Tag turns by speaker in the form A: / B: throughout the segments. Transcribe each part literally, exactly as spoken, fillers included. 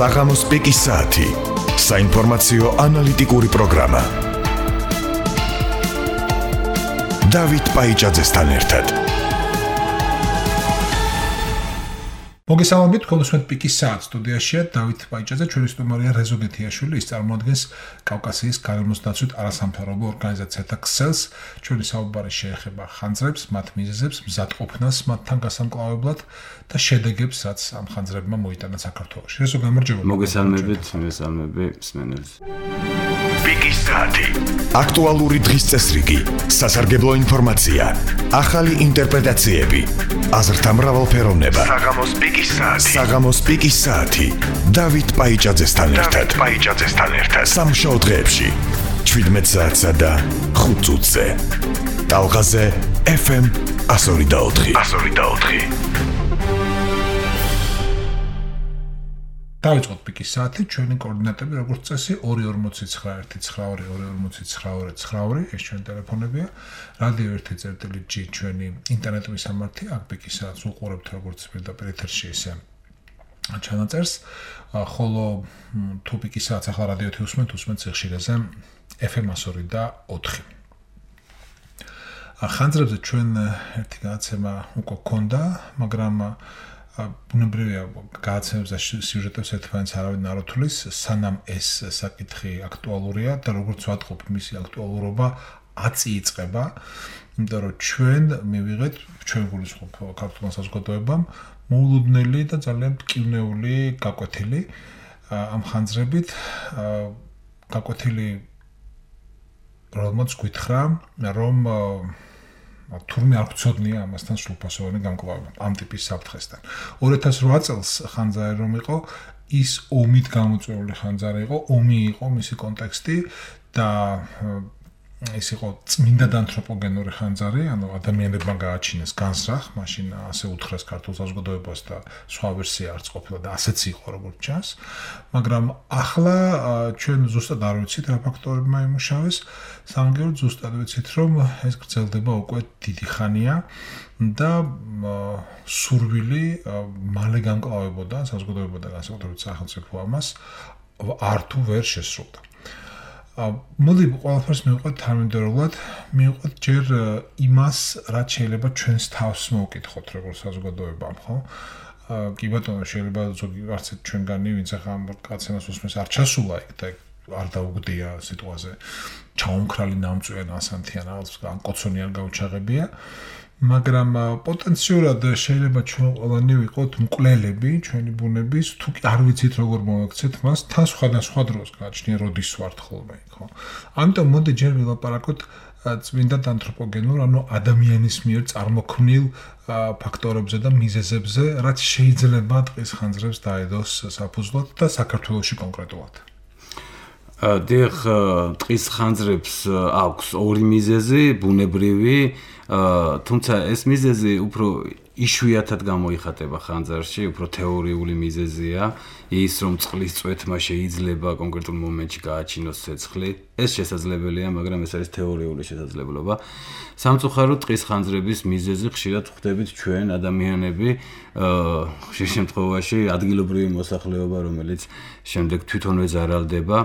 A: საღამოს პიკის საათი. საინფორმაციო ანალიტიკური პროგრამა. დავით პაიჭაძესთან ერთად.
B: მოგესალმებით, კონსულტანტ პიკის საათს სტუდიაშია დავით პაიჭაძე, ჩვენი სტუმარია რეზო გეთიაშვილი, ის წარმოადგენს კავკასიის გარემოსდაცვით არასამთავრობო ორგანიზაციათა ქსელს. ჩვენი საუბარი შეეხება ხანძრებს, მათ მიზეზებს, მზადყოფნას მათთან გასამკლავებლად და შედეგებს, რაც ამ ხანძრებმა მოიტანა საქართველოში. რეზო, გამარჯობა.
C: მოგესალმებით, მოგესალმები მსმენელს.
A: პიკის საათი. აქტუალური დღის წესრიგი, სასარგებლო ინფორმაცია, ახალი ინტერპრეტაციები, აზრთა მრავალფეროვნება. საღამოს პიკის საათი. საღამოს პიკის საათი. დავით პაიჭაძესთან ერთად. დავით პაიჭაძესთან ერთად. სამშაბათ დღეებში შვიდმეტ საათსა და ხუთ წუთზე. ტალღაზე ეფ ემ εκατო ორი და ოთხი. εκατო ორი და ოთხი.
B: დავიწყოთ პიკის საათი, ჩვენი კოორდინატები როგორც წესი ორი ორმოცი ცხრა ერთი ცხრა ორი ორი ორმოცი ცხრა ორი ცხრა ორი, ეს ჩვენი ტელეფონებია. რადიო ერთი წერტილი ჯი ჩვენი ინტერნეტ მისამართი, აქ პიკის საათს უყურებთ როგორც პირდაპირ ეთერში, ისე ჩანაწერს, ხოლო თუ პიკის საათს ახლა რადიო ერთი უსმენთ, უსმენთ სიხშირეზე ეფ ემ εκατო ორი და ოთხი. ხანძრებზე ჩვენ ერთი გადაცემა უკვე გქონდა, მაგრამ ბუნებრივია გადაცემებს და სიუჟეტებს ერთმანეთს არავინ არ უთვლის, სანამ ეს საკითხი აქტუალურია და როგორც ვატყობ, მისი აქტუალურობა ათი იწყება, იმიტომ რომ ჩვენ მივიღეთ, ჩვენ გულისხმობ ქართულმა საზოგადოებამ, მოულოდნელი და ძალიან მტკივნეული გაკვეთილი ამ ხანძრებით, გაკვეთილი რომელმაც გითხრა, რომ თურმე არ გვცოდნია ამასთან სრულფასოვანი გამკლავება ამ ტიპის საფრთხესთან. ორი ათას რვა წელს ხანძარი რომ იყო, ის ომით გამოწვეული ხანძარი იყო, ომი იყო მისი კონტექსტი და ეს იყო წმინდა და ანთროპოგენური ხანძარი, ანუ ადამიანებმა გააჩინეს განსრახ, მაშინ ასე უთხრეს ქართულ საზოგადოებას და სხვა ვერსია არც ყოფილა და ასეც იყო როგორც ჩანს, მაგრამ ახლა ჩვენ ზუსტად არ ვიცით რა ფაქტორებმა იმუშავეს, სამაგიეროდ ზუსტად ვიცით რომ ეს გრძელდება უკვე დიდი ხანია და სურვილი მალე გამკლავებოდა საზოგადოება და განსაკუთრებით სახელმწიფო ამას არ თუ ვერ შესრულდა. მოდი ყველაფერს მივყვეთ თანმიმდევრულად, მივყვეთ ჯერ იმას, რაც შეიძლება ჩვენს თავს მოვკითხოთ როგორც საზოგადოებამ, ხო? კი ბატონო, შეიძლება ზოგი არც ჩვენგანი, ვინც ახლა ამ კაცენას უსმენს, არ ჩასულა იქ და არ დაუგდია სიტყვაზე ჩაუმქრალი ნამწვიან ასანთიან რაღაც ან კოცონი არ გაუჩაღებია, მაგრამ პოტენციურად შეიძლება ჩვენ ყველანი ვიყოთ მკვლელები ჩვენი ბუნების, თუ არ ვიცით როგორ მოვაქცეთ მას, თან სხვადასხვა დროს გააჩნია როდის ვართ ხოლმე, ხო? ამიტომ მოდი ჯერ ვილაპარაკოთ წმინდა და ანთროპოგენურ, ანუ ადამიანის მიერ წარმოქმნილ ფაქტორებზე და მიზეზებზე, რაც შეიძლება ტყის ხანძრებს დაედოს საფუძვლად და საქართველოში კონკრეტულად.
C: დიახ, ტყის ხანძრებს აქვს ორი მიზეზი, ბუნებრივი, თუმცა ეს მიზეზი უფრო იშვიათად გამოიხატება ხანძარში, უფრო თეორიული მიზეზია, ის რომ წყლის წვეთმა შეიძლება კონკრეტულ მომენტში გააჩინოს ცეცხლი. ეს შესაძლებელია, მაგრამ ეს არის თეორიული შესაძლებლობა. სამწუხაროდ ტყის ხანძრების მიზეზი ხშირად ხვდებით ჩვენ ადამიანები, ხშირ შემთხვევაში ადგილობრივი მოსახლეობა, რომელიც შემდეგ თვითონვე ზარალდება.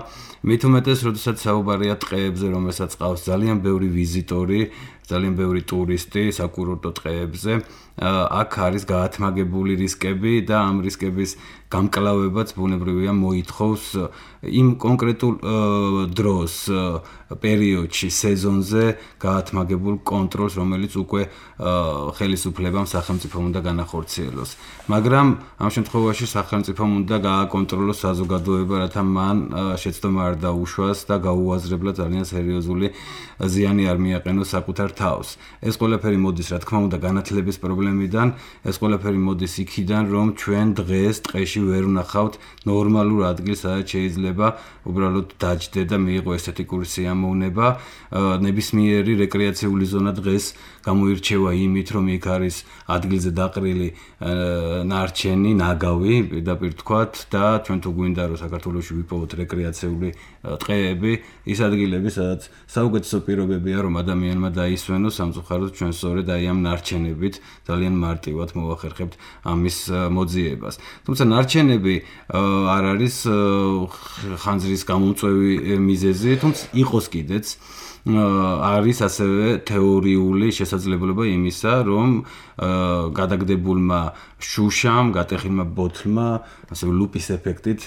C: მით უმეტეს, როდესაც საუბარია ტყეებზე, რომელსაც ყავს ძალიან ბევრი ვიზიტორი, ძალიან ბევრი ტურისტი საკურორტო ტყეებზე, აქ არის გაათმაგებული რისკები და ამ რისკების გამკლავებაც ბუნებრივია მოითხოვს იმ კონკრეტულ დროს, პერიოდში, სეზონზე გაათმაგებულ კონტროლს, რომელიც უკვე ხელისუფლებამ სახელმწიფომ უნდა განახორციელოს. მაგრამ ამ შემთხვევაში სახელმწიფომ უნდა გააკონტროლოს საზოგადოება, რათა მან შეცდომა არ დაუშვას და გაუაზრებლად ძალიან სერიოზული ზიანი არ მიაყენოს საკუთარ თავს. ეს ყველაფერი მოდის, რა თქმა უნდა, განათლების პრობლემიდან, ეს ყველაფერი მოდის იქიდან, რომ ჩვენ დღეს ტყეში ვერ ვნახავთ ნორმალურ ადგილს, სადაც შეიძლება უბრალოდ დაჯდე და მიიღო ესთეტიკური სიამოვნება. ნებისმიერი რეკრეაციული ზონა დღეს გამოირჩევა იმით, რომ იქ არის ადგილზე დაყრილი ნარჩენი, ნაგავი, პირდაპირ თქვათ და ჩვენ თუ გვინდა რომ საქართველოში ვიპოვოთ რეკრეაციული ტყეები, ის ადგილები, სადაც საუკეთესო პირობებია რომ ადამიანმა დაისვენოს, სამწუხაროდ ჩვენ სწორედ აი ამ ნარჩენებით ძალიან ძალიან მარტივად მოვახერხებთ ამის მოძიებას. თუმცა ნარჩენები არ არის ხანძრის გამომწვევი მიზეზი, თუმცა იყოს კიდეც არის ასევე თეორიული შესაძლებლობა იმისა, რომ გადაგდებულმა შუშამ, გატეხილმა ბოთლმა, ასევე ლუპის ეფექტით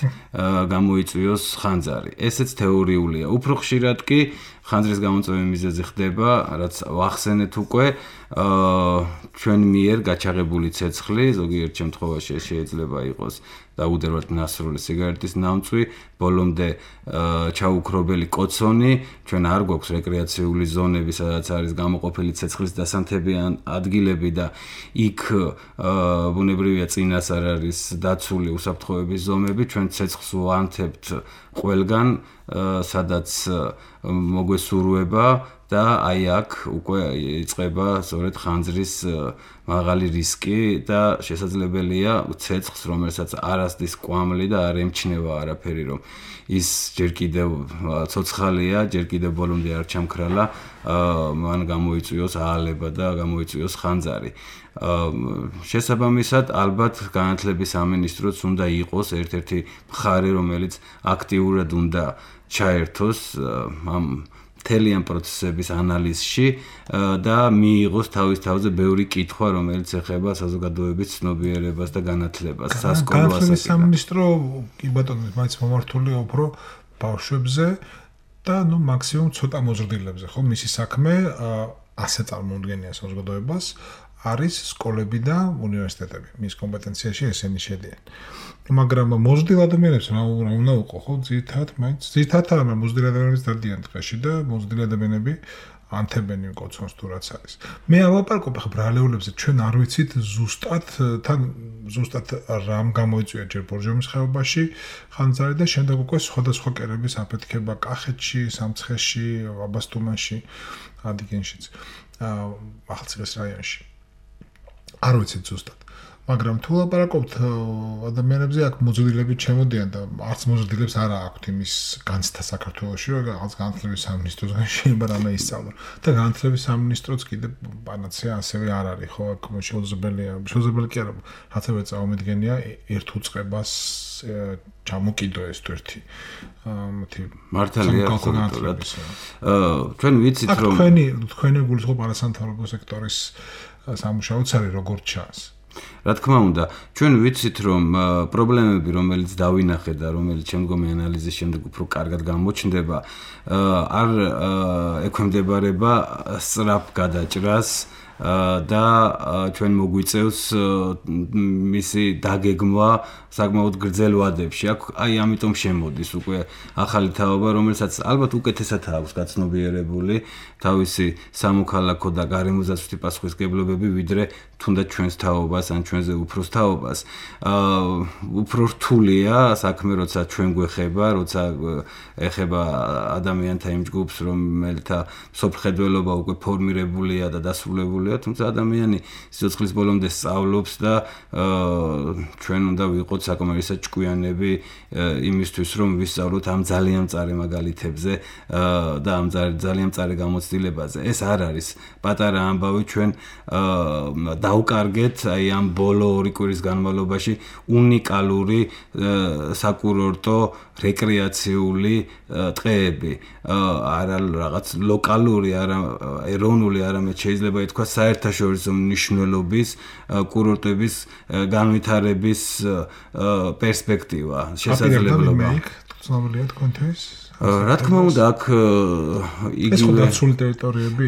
C: გამოიწვიოს ხანძარი. ესეც თეორიულია. უფრო ხშირად კი ხანძრის გამომწვევი მიზეზი ხდება, რაც ვახსენეთ უკვე, ჩვენ მიერ გაჩაღებული ცეცხლი, ზოგიერთ შემთხვევაში შეიძლება იყოს დაუდერვად ნასრული სიგარეტის ნამწვი, ბოლომდე ჩაუქრობელი კოცონი, ჩვენ არ გვაქვს რეკრეაციული ზონები, სადაც არის გამოყოფილი ცეცხლის დასანთებიან ადგილები და იქ ბუნებრივია წინასწარ არის დაცული უსაფრთხოების ზომები, ჩვენ ცეცხლს ვანთებთ ყველგან, სადაც მოგვესურვება და აი აქ უკვე იწყება სწორედ ხანძრის მაღალი რისკი და შესაძლებელია ცეცხლს, რომელსაც არ ასდის კვამლი და არ ემჩნევა არაფერი, რომ ის ჯერ კიდევ ცოცხალია, ჯერ კიდევ ბოლომდე არ ჩამქრალა, მან გამოიწვიოს აალება და გამოიწვიოს ხანძარი. შესაბამისად, ალბათ განათლების სამინისტროც უნდა იყოს ერთ-ერთი მხარე, რომელიც აქტიურად უნდა ჩაერთოს ამ მთლიან პროცესების ანალიზში და მიიღოს თავის თავზე ბევრი კითხვა, რომელიც ეხება საზოგადოების ცნობიერებას და განათლებას, სასკოლო ასაკიდან.
B: განათლების სამინისტრო კი ბატონო, მაინც მომართულია უფრო ბავშვებზე და ნუ მაქსიმუმ ცოტა მოზრდილებზე, ხო? მისი საქმე ასე წარმოუდგენია საზოგადოებას, არის სკოლები და უნივერსიტეტები. მის კომპეტენციაში ესენი შედიან. მაგრამ მოზრდილ ადამიანებს რა უნდა უყო, ხო? ძირითადად მაინც ძირითადად არა, მოზრდილ ადამიანებს დადიან ტყეში და მოზრდილ ადამიანები ანთებენ კოცონს თუ რაც არის. მე ალაპარაკობ ხა ბრალეულებზე, ჩვენ არ ვიცით ზუსტად თან ზუსტად რამ გამოიწვია ჯერ ბორჯომის ხეობაში ხანძარი და შემდეგ უკვე სხვადასხვა კერების აფეთქება კახეთში, სამცხეში, აბასთუმანში, ადიგენშიც, ახალციხის რაიონში. არ ვიცით ზუსტად. მაგრამ თუ ლაპარაკობთ ადამიანებზე, აქ მოზრდილები ჩემოდიან და არც მოზრდილებს არა აქვთ იმის განცდა საქართველოში, რომ რაღაც განათლების სამინისტროსგან შეიძლება რამე ისწავლონ. და განათლების სამინისტროც კიდე პანაცეა ასევე არ არის, ხო? აქ შეუძლებელია, შეუძლებელი კი არა, რაც ასევე წამომედგენია ერთ უწყებას ჩამოკიდო ეს თუ ერთი მათი
C: მართალია absoliutoriat. ჩვენ ვიცით რომ
B: თქვენი თქვენი გულისხმობ არასამთავრობო სექტორის სამუშაოც არის როგორც ჩანს.
C: რა თქმა უნდა, ჩვენ ვიცით რომ პრობლემები, რომელიც დავინახე და რომელიც შემდგომი ანალიზის შემდეგ უფრო კარგად გამოჩნდება, არ ექვემდებარება სწრაფ გადაჭრას და ჩვენ მოგვიწევს მისი დაგეგმვა საკმაოდ გრძელ ვადებში. აქ აი ამიტომ შემოდის უკვე ახალი თაობა, რომელსაც ალბათ უკეთესად აქვს გაცნობიერებული თავისი სამოქალაქო და გარემოზაცვითი პასუხისმგებლობები, ვიდრე თუნდაც ჩვენს თაობას ან ჩვენზე უფროს თაობას. უფრო რთულია საქმე, როცა ჩვენ გვეხება, როცა ეხება ადამიანთა იმ ჯგუფს, რომელთა სოფლხედველობა უკვე ფორმირებულია და დასრულებულია, თუმცა ადამიანი სიცოცხლის ბოლომდე სწავლობს და ჩვენ უნდა ვიყოთ საკმარისად ჭკვიანები იმისთვის, რომ ვისწავლოთ ამ ძალიან მწარე მაგალითებზე და ამ ძალიან მწარე გამოცდილებაზე. ეს არ არის პატარა ამბავი, ჩვენ დავკარგეთ აი ამ ბოლო ორი კვირის განმავლობაში უნიკალური საკურორტო რეკრეაციული ტყეები, არა რაღაც ლოკალური, არა ეროვნული, არამედ შეიძლება ითქვას საერთაშორისო მნიშვნელობის კურორტების განვითარების პერსპექტივა, შესაძლებლობა.
B: ცნობილია თქვენთვის?
C: რა თქმა უნდა, აქ
B: იგივე დაცული ტერიტორიები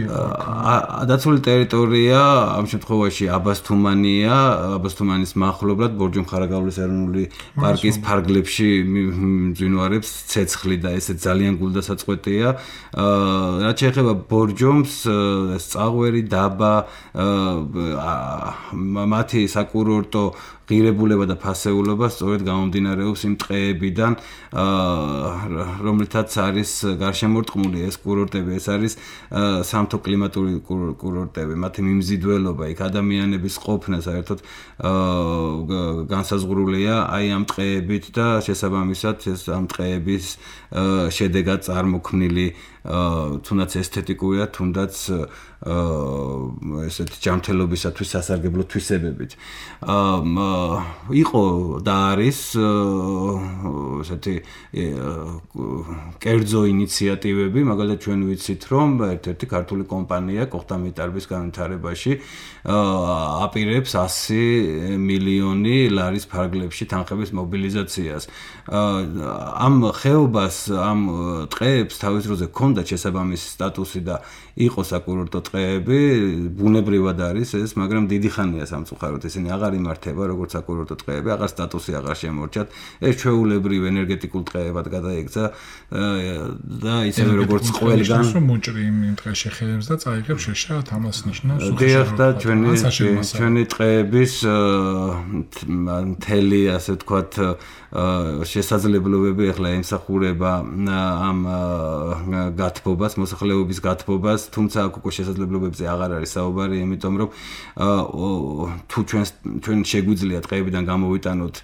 C: დაცული ტერიტორია ამ შემთხვევაში აბასთუმანია, აბასთუმანის მახლობლად ბორჯომ-ხარაგაულის ეროვნული პარკის ფარგლებში მძვინვარებს ცეცხლი და ესე ძალიან გულდასაწყვეტია. რაც შეეხება ბორჯომს, წაღვერი, დაბა, მათი საკურორტო ღირებულება და ფასეულობა სწორედ გამომდინარეობს იმ ტყეებიდან, რომლითაც არის გარშემორტყმული ეს კურორტები, ეს არის სამთო კლიმატური კურორტები, მათი მიმზიდველობა, იქ ადამიანების ყოფნა საერთოდ განსაზღვრულია აი ამ ტყეებით და შესაბამისად ეს ამ ტყეების შედეგად წარმოქმნილი თუნდაც ესთეტიკურია, თუნდაც ესეთ ჯანმრთელობისათვის სასარგებლო თვისებებით. იყო და არის ესეთი კერძო ინიციატივები, მაგალითად ჩვენ ვიცით, რომ ერთ-ერთი ქართული კომპანია კოხტამიტარბის განვითარებაში აპირებს ასი მილიონი ლარის ფარგლებში თანხების მობილიზაციას. ამ ხეობას, ამ ტყეებს თავის დროზე ჰქონდა შესაბამისი სტატუსი და იყო საკურორტო ტყეები, ბუნებრივად არის ეს, მაგრამ დიდი ხანია სამწუხაროდ ისინი აღარ იმართება როგორც საკურორტო ტყეები, აღარ სტატუსი აღარ შემორჩათ. ეს ჩვეულებრივ ენერგეტიკულ ტყეებად გადაიქცა და ისევე როგორც ყველგან
B: მოჭრი იმ ტყეში ხეებს და წაიღებს შეშად ამას ნიშნავს
C: დიახ და ჩვენი ჩვენი ტყეების მთელი ასე ვთქვათ შესაძლებლობები ახლა ემსახურება ამ გათბობას, მოსახლეობის გათბობას, თუმცა აქ უკვე შესაძლებლობებზე აღარ არის საუბარი, იმიტომ რომ თუ ჩვენ ჩვენ შეგვიძლია ტყეებიდან გამოვიტანოთ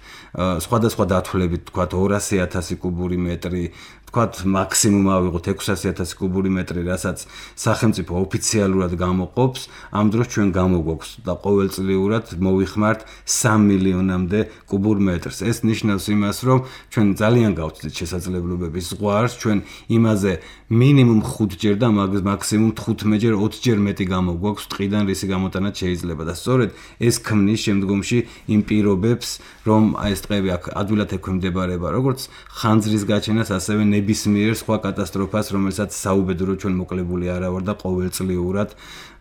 C: სხვადასხვა დათვლებით, ვთქვათ ორასი ათასი კუბური მეტრი, ვთქვათ მაქსიმუმ ავიღოთ ექვსასი ათასი კუბური მეტრი, რასაც სახელმწიფო ოფიციალურად გამოყოფს, ამ დროს ჩვენ გამოგვაქვს და ყოველწლიურად მოვიხმართ სამი მილიონამდე კუბურ მეტრს. ეს ნიშნავს იმას, რომ ჩვენ ძალიან გავწვდით შესაძლებლობების ზღვარს, ჩვენ იმაზე მინიმუმ ხუთჯერ და მაქსიმუმ თხუთმეტჯერ ოცჯერ მეტი გამოგვაქვს ტყიდან, რისი გამოტანაც შეიძლება და სწორედ ეს ქმნის შემდგომში იმ პირობებს, რომ აი ეს ტყეები აქ ადვილად ექვემდებარება როგორც ხანძრის გაჩენას, ასევე ნებისმიერ სხვა კატასტროფას, რომელსაც საუბედურო ჩვენ მოკლებული არა ვარ და ყოველწლიურად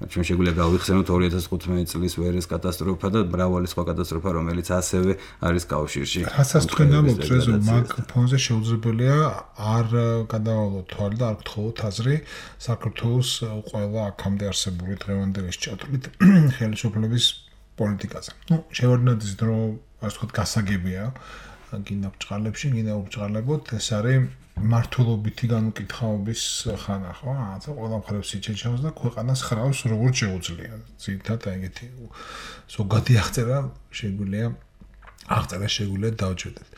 C: ჩვენ შეგვიძლია გავიხსენოთ ორი ათას თხუთმეტი წლის ვერეს კატასტროფა და მრავალი სხვა კატასტროფა, რომელიც ასევე არის კავშირში.
B: რასაც თქვენ ამბობთ, რომ მაგ ფონზე შეუძლებელია არ გადავალოთ თვალი და არ გთხოვოთ აზრი საქართველოს ყველა აქამდე არსებული დღევანდელი შეჭრილით ხელისუფლების პოლიტიკაზე. ნუ შევარდნოთ ის დრო, ასე ვთქვათ, გასაგებია, გინდა ბჭყალებში, გინდა უბჭყალებოთ, ეს არის მართლობითი განუკითხაობის ხანა, ხო? რაღაცა ყველა მხარეს იჩეჩავს და ქვეყანას ხრავს როგორც შეუძლია. ძირითადად ეგეთი ზოგადი აღწერა შეგვიძლია აღწერა შეგვიძლია დავჭერდეთ.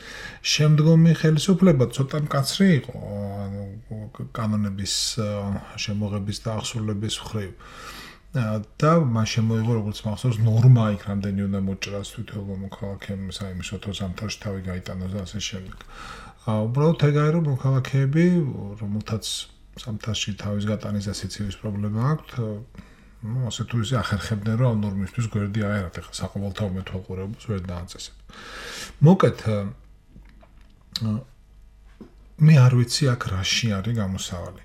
B: შემდგომი ხელისუფლება ცოტა მკაცრი იყო, ანუ კანონების შემოღების და აღსრულების მხრივ. და მან შემოიღო როგორც მახსოვს ნორმა იქ რამდენი უნდა მოჭრას თვითონ მოქალაქემ საიმისოთო ზამთარში თავი გაიტანოს და ასე შემდეგ. უბრალოდ ეგ არის რომ მოქალაქეები, რომელთაც ზამთარში თავის გატანის და სიცივის პრობლემა აქვთ, ну, ასე თუ ისე ახერხებდნენ რომ ნორმისთვის გვერდი აერათ, ახლა საყოველთაო მეთვალყურეობას ვერ დააწესებ. მოკეთ მე არ ვიცი აქ რაში არის გამოსავალი.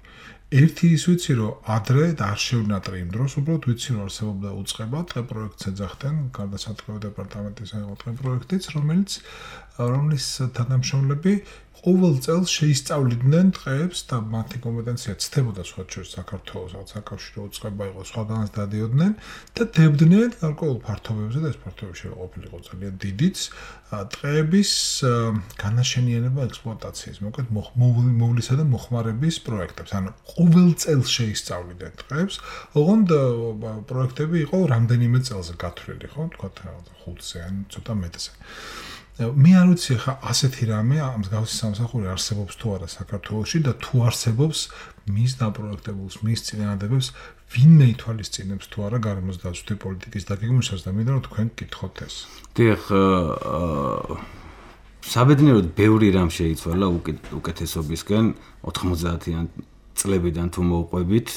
B: ერთი ის ვიცი რომ ადრე და არ შევნატრე იმ დროს, უბრალოდ ვიცი რომ არსებობდა უწყება, ტყე პროექტს ეძახდნენ, გარდაცვალებათა დეპარტამენტის ტყე პროექტიც, რომელიც რომლის თანამშრომლები ყოველ წელს შეისწავლიდნენ ტყეებს და მათი კომპეტენცია ცდებოდა სხვა შორის საქართველოს საკავშირო უწყება იყო, სხვაგანაც დადიოდნენ და დებდნენ გარკვეულ ფართობებზე და ეს ფართობები შეიძლება ყოფილიყო ძალიან დიდიც ტყეების განაშენიანება ექსპლუატაციის, მოკლედ მოვლისა და მოხმარების პროექტებს. ანუ ყოველ წელს შეისწავლიდნენ ტყეებს, ოღონდ პროექტები იყო რამდენიმე წელზე გათვლილი, ხო, თქვა ხუთზე ან ცოტა მეტზე. მე არ ვიცი ხა ასეთი რამე ამ მსგავსი სამსახური არსებობს თუ არა საქართველოში და თუ არსებობს მის დაპროექტებულს, მის წინადადებებს ვინმე ითვალისწინებს თუ არა გარემოს დაცვითი პოლიტიკის დაგეგმვისას და მინდა რომ თქვენ გკითხოთ ეს.
C: დიახ, საბედნიეროდ ბევრი რამ შეიცვალა უკეთესობისკენ ოთხმოცდაათიან წლებიდან თუ მოვყვებით,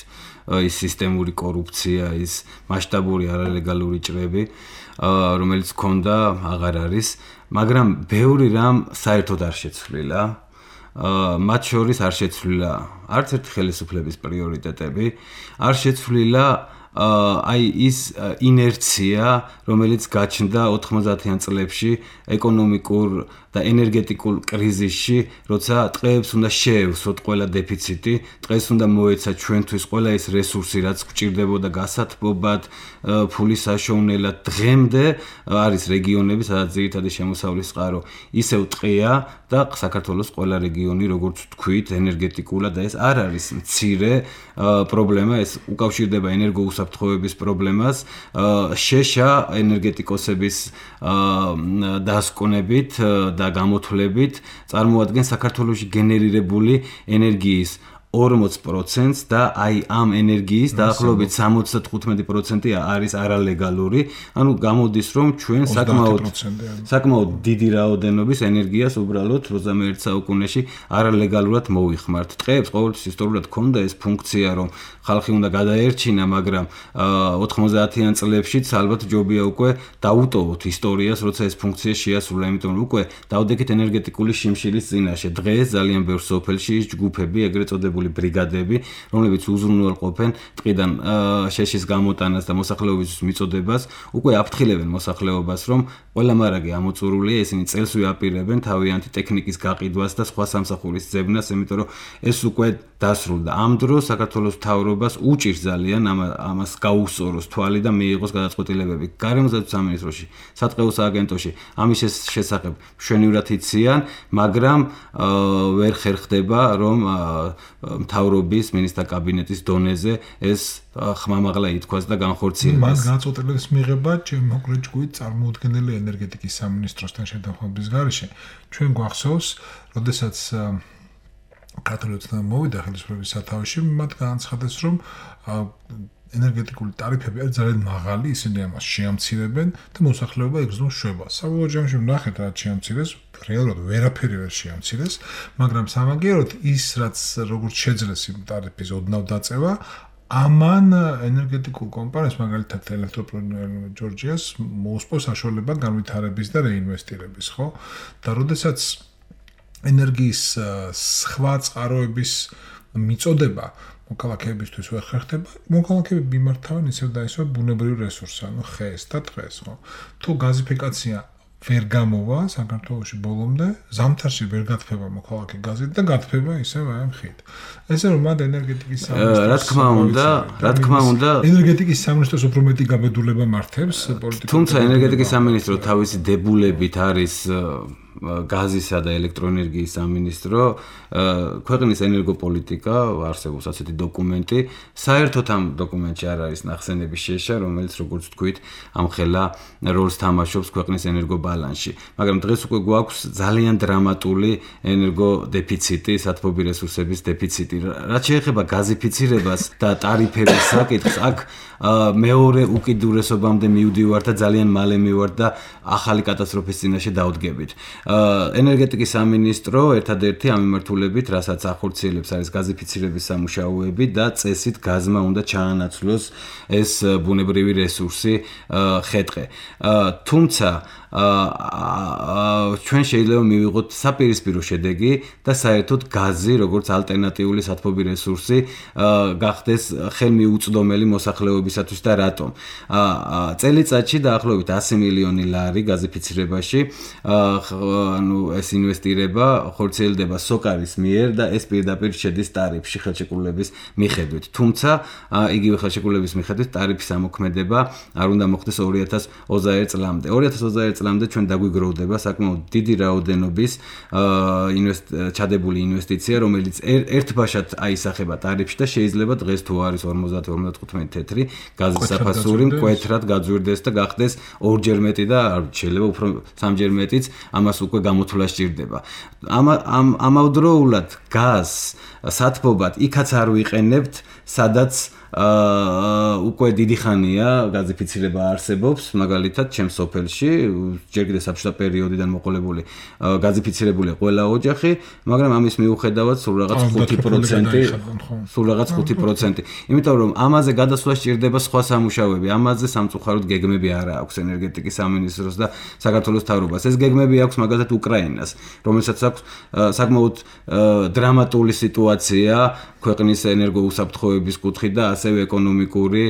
C: ის სისტემური კორუფცია, ის მასშტაბური არალეგალური ჭრები, რომელიც ქონდა, აღარ არის, მაგრამ ბევრი რამ საერთოდ არ შეცვლილა. მათ შორის არ შეცვლილა არც ერთი ხელისუფლების პრიორიტეტები, არ შეცვლილა აი ის ინერცია, რომელიც გაჩნდა ოთხმოცდაათიან წლებში ეკონომიკურ და ენერგეტიკულ კრიზისში, როცა ტყეებს უნდა შეევსოთ ყველა დეფიციტი, ტყეს უნდა მოეცა ჩვენთვის ყველა ის რესურსი, რაც გვჭირდებოდა გასათბობად, ფულის საშუალებლად. დღემდე არის რეგიონები, სადაც ძირითადი შემოსავლის წყარო ისევ ტყეა და საქართველოს ყველა რეგიონი, როგორც ვთქვით, ენერგეტიკულად და ეს არ არის მცირე პრობლემა, ეს უკავშირდება ენერგოუსაფრთხოების პრობლემას, შეშა ენერგეტიკოსების დასკვნებით და გამოთვლებით წარმოადგენს საქართველოში გენერირებული ენერგიის ორმოც პროცენტს და აი ამ ენერგიის დაახლოებით სამოცდათხუთმეტი პროცენტი არის არალეგალური, ანუ გამოდის რომ ჩვენ საკმაოდ საკმაოდ დიდი რაოდენობის ენერგიას უბრალოდ ოცდამეერთე საუკუნეში არალეგალურად მოიხმართ. ტყეებს ყოველთვის ისტორიულად ჰქონდა ეს ფუნქცია, რომ ხალხი უნდა გადაერჩინა, მაგრამ ოთხმოცდაათიან წლებშიც ალბათ ჯობია უკვე დაუტოვოთ ისტორიას, როცა ეს ფუნქცია შეასრულა, იმიტომ რომ უკვე დავდექით ენერგეტიკული შიმშილის წინაშე. დღეს ძალიან ბევრ სოფელში ის ჯგუფები, ეგრეთ წოდებული ბრიგადები, რომლებიც უზრუნველყოფენ ტყიდან შეშის გამოტანას და მოსახლეობის მიწოდებას, უკვე აფრთხილებენ მოსახლეობას, რომ ყველა მარაგი ამოწურულია, ისინი წელს ვიაპირებენ თავიანთი ტექნიკის გაყიდვას და სხვა სამსახურის ძებნას, იმიტომ რომ ეს უკვე დასრულდა. ამ დროს საქართველოს მთავრობას უჭირს ძალიან ამას გაუსწოროს თვალი და მიიღოს გადაწყვეტილებები. გარემოსდაცვის სამინისტროში, სატყეო სააგენტოში ამის შესახებ მშვენივრად იციან, მაგრამ ვერ ხერხდება, რომ მთავრობის მინისტრთა კაბინეტის დონეზე ეს ხმამაღლა ითქვას და განხორციელდეს.
B: მას განაწყვეტილების მიღება ჩემ მოკლედ ჯგუფით წარმოუდგენელი ენერგეტიკის სამინისტროსთან შეთანხმების გარეშე. ჩვენ გვახსოვს, როდესაც კათოლიკოსთან მოვიდა ხელისუფლების სათავეში, მათ განაცხადეს, რომ ენერგეტიკული ტარიფები არის ძალიან მაღალი, ისინი ამას შეამცირებენ და მოსახლეობა იგრძნობს შვებას. საბოლოო ჯამში ვნახეთ, რა შეამცირეს, რეალურად ვერაფერი ვერ შეამცირეს, მაგრამ სამაგიეროდ ის, რაც როგორც შეძლეს იმ ტარიფის ოდნავ დაწევა, ამან ენერგეტიკულ კომპანიას, მაგალითად ელექტროპროდუქტ ჯორჯიას მოუსწროს საშუალება განვითარების და რეინვესტირების, ხო? და როდესაც ენერგიის სხვა წყაროების მიწოდება მოქალაქეებისთვის ვერ ხერხდება, მოქალაქეები მიმართავენ ისევ და ისევ ბუნებრივ რესურსს, ანუ ხეს და ტყეს, ხო? თუ გაზიფიკაცია ვერ გამოვა საქართველოში ბოლომდე, ზამთარში ვერ გათფება მოქალაქე გაზით და გათფება ისევ აი ამ ხით. ესე რომ მათ ენერგეტიკის სამინისტროს
C: რა თქმა უნდა, რა თქმა უნდა,
B: ენერგეტიკის სამინისტროს უფრო მეტი გაბედულება მართებს პოლიტიკურ.
C: თუმცა ენერგეტიკის სამინისტრო თავისი დებულებით არის გაზისა და ელექტროენერგიის სამინისტრო, ქვეყნის ენერგოპოლიტიკა, არსებობს ასეთი დოკუმენტი, საერთოდ ამ დოკუმენტში არ არის ნახსენების შეშა, რომელიც როგორც ვთქვით, ამხელა როლს თამაშობს ქვეყნის ენერგობალანსში. მაგრამ დღეს უკვე გვაქვს ძალიან დრამატული ენერგოდეფიციტი, სათბობი რესურსების დეფიციტი. რაც შეეხება გაზიფიცირებას და ტარიფების საკითხს, აქ მეორე უკიდურესობამდე მივდივარ და ძალიან მალე მივარ და ახალი კატასტროფის წინაშე დავდგებით. ენერგეტიკის სამინისტრო ერთადერთი ამ მიმართულებით, რასაც ახორციელებს, არის გაზიფიცირების სამუშაოები და წესით გაზმა უნდა ჩაანაცვლოს ეს ბუნებრივი რესურსი ხე-ტყე. თუმცა ჩვენ შეიძლება მივიღოთ საპირისპირო შედეგი და საერთოდ გაზი, როგორც ალტერნატიული სათბობი რესურსი, გახდეს ხელმიუწვდომელი მოსახლეობისათვის და რატომ? წელიწადში დაახლოებით ასი მილიონი ლარი გაზიფიცირებაში, ანუ ეს ინვესტირება ხორციელდება სოკარის მიერ და ეს პირდაპირ შედის ტარიფში ხელშეკრულების მიხედვით. თუმცა იგივე ხელშეკრულების მიხედვით ტარიფის ამოქმედება არ უნდა მოხდეს ორი ათას ოცდაერთ წლამდე. ორი ათას ოცდაერთ წლამდე ჩვენ დაგვიგროვდება საკმაოდ დიდი რაოდენობის ჩადებული ინვესტიცია, რომელიც ერთბაშად აისახება ტარიფში და შეიძლება დღეს თუ არის ორმოცდაათი ორმოცდათხუთმეტი თეთრი გაზის საფასური მკვეთრად გაძვირდეს და გახდეს ორჯერ მეტი და შეიძლება უფრო სამჯერ მეტიც, ამას უკვე გამოთვლა სჭირდება. ამავდროულად გაზს სათბობად იქაც არ ვიყენებთ, სადაც უკვე დიდი ხანია გაზიფიცირება არსებობს, მაგალითად ჩემს სოფელში, ჯერ კიდევ საბჭოთა პერიოდიდან მოყოლებული გაზიფიცირებულია ყველა ოჯახი, მაგრამ ამის მიუხედავად სულ რაღაც ხუთი პროცენტი, სულ რაღაც ხუთი პროცენტი. იმიტომ რომ ამაზე გადასვლა სჭირდება სხვა სამუშაოები, ამაზე სამწუხაროდ გეგმები არ აქვს ენერგეტიკის სამინისტროს და საქართველოს მთავრობას. ეს გეგმები აქვს მაგალითად უკრაინას, რომელსაც აქვს საკმაოდ დრამატული სიტუაცია ქვეყნის ენერგოუსაფრთხოების კუთხით და ასევე ეკონომიკური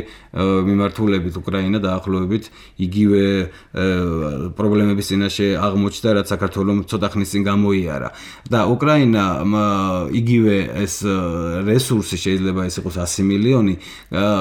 C: მიმართულებით უკრაინა დაახლოებით იგივე პრობლემების წინაშე აღმოჩნდა, რაც საქართველოს ცოტა ხნის წინ გამოიარა. და უკრაინა იგივე ეს რესურსი შეიძლება ეს იყოს ასი მილიონი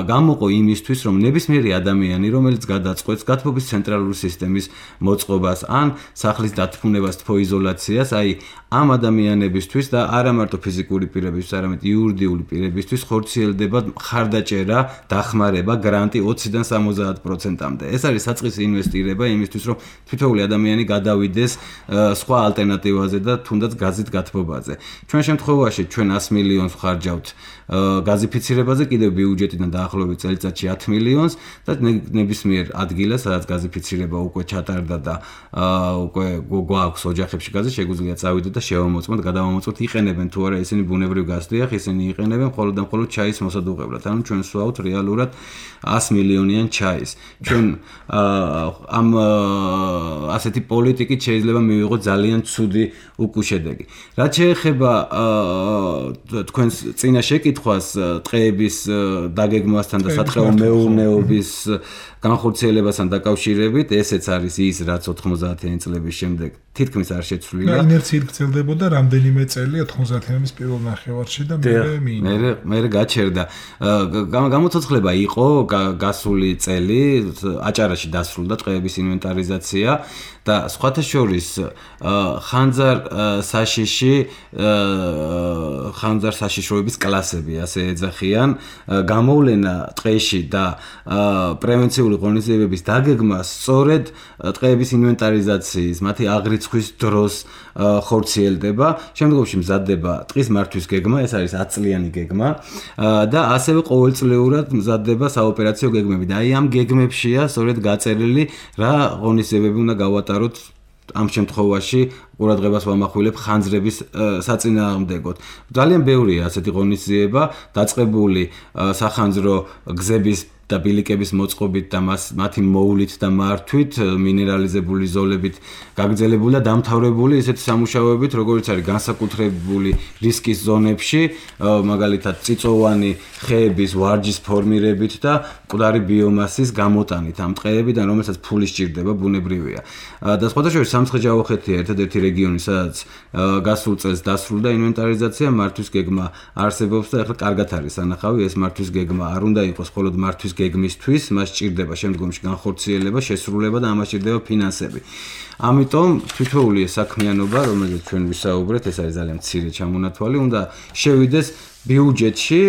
C: გამოყო იმისთვის, რომ ნებისმიერი ადამიანი, რომელიც გადაწყვეტს გათბობის ცენტრალური სისტემის მოწყობას ან სახლის დათმუნებას თბოიზოლაციას, აი ამ ადამიანებისთვის და არა მარტო ფიზიკური პირებისთვის, არამედ იურიდიული პირებისთვის ხორციელდება მხარდაჭერა, დახმარება, გრანტი ოციდან სამოცდაათ პროცენტამდე. ეს არის საწყისი ინვესტირება იმისთვის, რომ თითოეული ადამიანი გადავიდეს სხვა ალტერნატივაზე და თუნდაც გაზით გათბობაზე. ჩვენ შემთხვევაში ჩვენ ასი მილიონს ვხარჯავთ გაზიფიცირებაზე, კიდევ ბიუჯეტიდან დაახლოებით წელიწადში ათი მილიონს და ნებისმიერ ადგილას, სადაც გაზიფიცირება უკვე ჩატარდა და უკვე გვაქვს ოჯახებში გაზი, შეგვიძლია წავიდეთ და შევამოწმოთ, გადავამოწმოთ, იყენებენ თუ არა ისინი ბუნებრივ გაზს, დიახ, ისინი იყენებენ მხოლოდ და მხოლოდ ჩაის მოსადუღებლად. ანუ ჩვენ სვავთ რეალურად ასი მილიონიან ჩაის. ჩვენ ამ ასეთი პოლიტიკით შეიძლება მივიღოთ ძალიან ცუდი უკუშედეგი. რაც შეეხება თქვენს წინა შეკითხვას ტყეების დაგეგმვასთან და სატყეო მეურნეობის განხორციელებასთან დაკავშირებით, ესეც არის ის, რაც ოთხმოცდაათიანი წლების შემდეგ თითქმის არ შეცვლილა.
B: ინერციით გრძელდებოდა რამდენიმე წელი ოთხმოცდაათიანების პირველ ნახევარში და მერე მიიღო.
C: მერე მერე გაჩერდა. გამოცოცხლება იყო გასული წელი, აჭარაში დასრულდა ტყეების ინვენტარიზაცია და სხვათა შორის ხანძარ საშიში ხანძარ საშიშროების კლასები ასე ეძახიან, გამოვლენა ტყეში და პრევენციული ღონისძიებების დაგეგმა სწორედ ტყეების ინვენტარიზაციის, მათი აღრიცხვის დროს ხორციელდება. შემდგომში მზადდება ტყის მართვის გეგმა, ეს არის ათი წლიანი გეგმა და ასევე ყოველწლიურად მზადდება საოპერაციო გეგმები და აი ამ გეგმებშია სწორედ გაწერილი რა ღონისძიებები უნდა გავატაროთ ამ შემთხვევაში ყურადღებას ვამახვილებ ხანძრების საწინააღმდეგოდ. ძალიან ბევრია ასეთი ღონისძიება, დაწყებული სახანძრო გზების და ბილიკების მოწყობით და მათი მოვლით და მართვით, მინერალიზებული ზოლებით გაგრძელებული და დამთავრებული ისეთი სამუშაოებით, როგორც არის განსაკუთრებული რისკის ზონებში, მაგალითად წიწოვანი ხეების ვარჯის ფორმირებით და მკვდარი ბიომასის გამოტანით ამ ტყეებიდან, რომელსაც ფული სჭირდება, ბუნებრივია. და სხვათა შორის სამცხე-ჯავახეთია ერთადერთი რეგიონი, სადაც გასულ წელს დასრულდა ინვენტარიზაცია, მართვის გეგმა არსებობს და ახლა კარგად არის სანახავი, ეს მართვის გეგმა არ უნდა იყოს მხოლოდ მართვის გეგმისთვის, მას სჭირდება შემდგომში განხორციელება, შესრულება და ამას სჭირდება ფინანსები. ამიტომ თითოეული საქმიანობა, რომელზეც ჩვენ ვისაუბრეთ, ეს არის ძალიან მცირე ჩამონათვალი, უნდა შევიდეს ბიუჯეტში,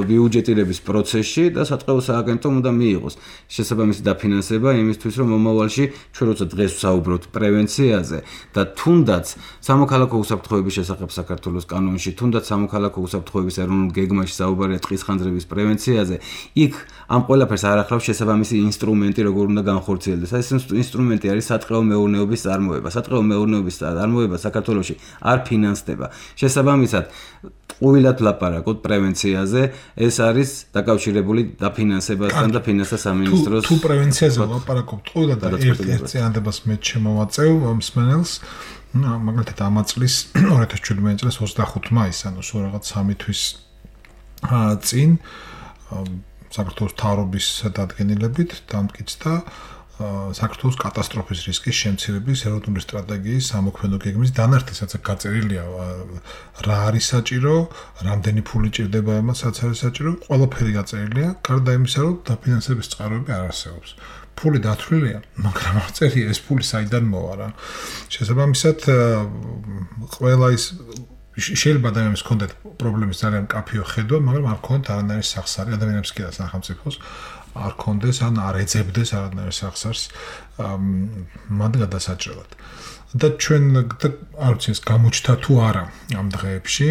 C: ბიუჯეტირების პროცესში და სატყეო სააგენტომ უნდა მიიღოს შესაბამისი დაფინანსება იმისთვის, რომ მომავალში ჩვენ როცა დღეს ვსაუბრობთ პრევენციაზე და თუნდაც სამოქალაქო უსაფრთხოების შესახებ საქართველოს კანონში, თუნდაც სამოქალაქო უსაფრთხოების ეროვნულ გეგმაში საუბარია ტყის ხანძრების პრევენციაზე, იქ ამ ყველაფერს არ ახლავს შესაბამისი ინსტრუმენტი, როგორ უნდა განხორციელდეს. ეს ინსტრუმენტი არის სატყეო მეურნეობის წარმოება. სატყეო მეურნეობის წარმოება საქართველოში არ ფინანსდება. შესაბამისად, ყუილად ვლაპარაკობთ პრევენციაზე, ეს არის დაკავშირებული დაფინანსებასთან და ფინანსთა სამინისტროს.
B: თუ პრევენციაზე ვლაპარაკობთ ყუილად და ერთ წინადებას მე შემოვაწევ მსმენელს, მაგალითად ამ წლის ორი ათას შვიდმეტი წლის ოცდახუთი მაისი, ანუ სულ რაღაც სამი თვის წინ საქართველოს მთავრობის დადგენილებით დამტკიცდა საქართველოს კატასტროფის რისკის შემცირების ეროვნული სტრატეგიის სამოქმედო გეგმის დანართი, სადაც გაწერილია რა არის საჭირო, რამდენი ფული ჭირდება იმას, სადაც არის საჭირო, ყველაფერი გაწერილია, გარდა იმისა, რომ დაფინანსების წყაროები არ არსებობს. ფული დათვლილია, მაგრამ არ წერია ეს ფული საიდან მოვა რა. შესაბამისად, ყველა ის შეიძლება ადამიანებს ჰქონდეთ პრობლემის ძალიან მკაფიო ხედვა, მაგრამ არ ჰქონდათ არანაირი სახსარი ადამიანებს კი და სახელმწიფოს არ კონდეს ან არ ეძებდეს არანაირ სახსარს მათ გადასაჭრელად. და ჩვენ არ ვიცი ეს გამოჩნდა თუ არა ამ დღეებში,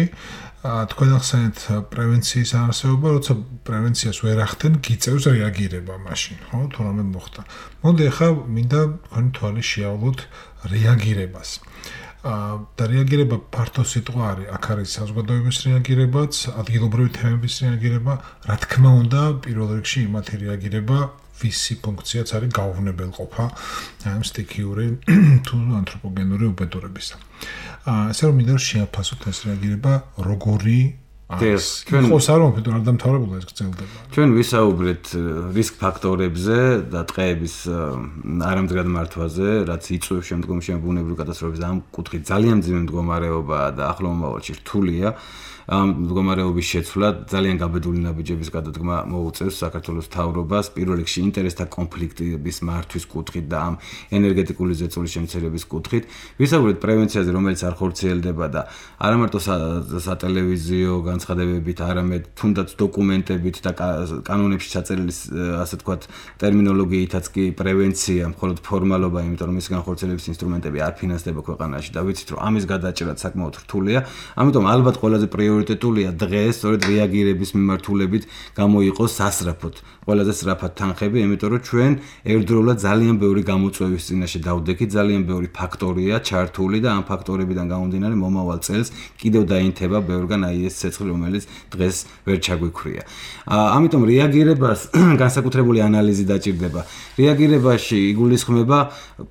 B: თქვენ ახსენეთ პრევენციის არსებობა, როცა პრევენციას ვერ ახდენ, გიწევს რეაგირება მაშინ, ხო, თუ რამე მოხდა. მოდი ახლა მინდა თქვენი თვალი შეავლოთ რეაგირებას. და რეაგირება ფართო სიტყვა არის, აქ არის საზოგადოების რეაგირებაც, ადგილობრივი თემების რეაგირება, რა თქმა უნდა, პირველ რიგში იმათი რეაგირება, ვისი ფუნქციაც არის გაუვნებელყოფა ამ სტიქიური თუ ანთროპოგენური უბედურებისა. ასე რომ მინდა შეაფასოთ ეს რეაგირება, როგორი ჩვენ ხო სარმოფიტო არ დამთავრებულა ეს გრძელდება.
C: ჩვენ ვისაუბრეთ რისკ ფაქტორებზე და ტყეების არამდგრად მართვაზე, რაც იწვევს შემდგომში ბუნებრივი კატასტროფების ამ კუთხით ძალიან მძიმე მდგომარეობაა და ახლო მომავალში რთულია. ამ მდგომარეობის შეცვლა ძალიან გაბედული ნაბიჯების გადადგმა მოუწევს საქართველოს მთავრობას პირველ რიგში ინტერესთა კონფლიქტების მართვის კუთხით და ამ ენერგეტიკული ზეწოლის შემცირების კუთხით. ვისაუბრეთ პრევენციაზე, რომელიც არ ხორციელდება და არა მარტო სატელევიზიო განცხადებებით, არამედ თუნდაც დოკუმენტებით და კანონებში ჩაწერილი ასე თქვათ ტერმინოლოგიითაც კი პრევენცია მხოლოდ ფორმალობა, იმიტომ რომ მის განხორციელების ინსტრუმენტები არ ფინანსდება ქვეყანაში და ვიცით რომ ამის გადაჭრაც საკმაოდ რთულია. ამიტომ ალბათ ყველაზე პრიორიტეტულია დღეს სწორედ რეაგირების მიმართულებით გამოიყოს სასწრაფოდ ყველაზე სწრაფად თანხები, იმიტომ რომ ჩვენ ერთდროულად ძალიან ბევრი გამოწვევის წინაშე დავდექით, ძალიან ბევრი ფაქტორია ჩართული და ამ ფაქტორებიდან გამომდინარე მომავალ წელს კიდევ დაინთება ბევრგან აი ეს ცეცხლი, რომელიც დღეს ვერ ჩაგვიქრია. ამიტომ რეაგირებას განსაკუთრებული ანალიზი დაჭირდება. რეაგირებაში იგულისხმება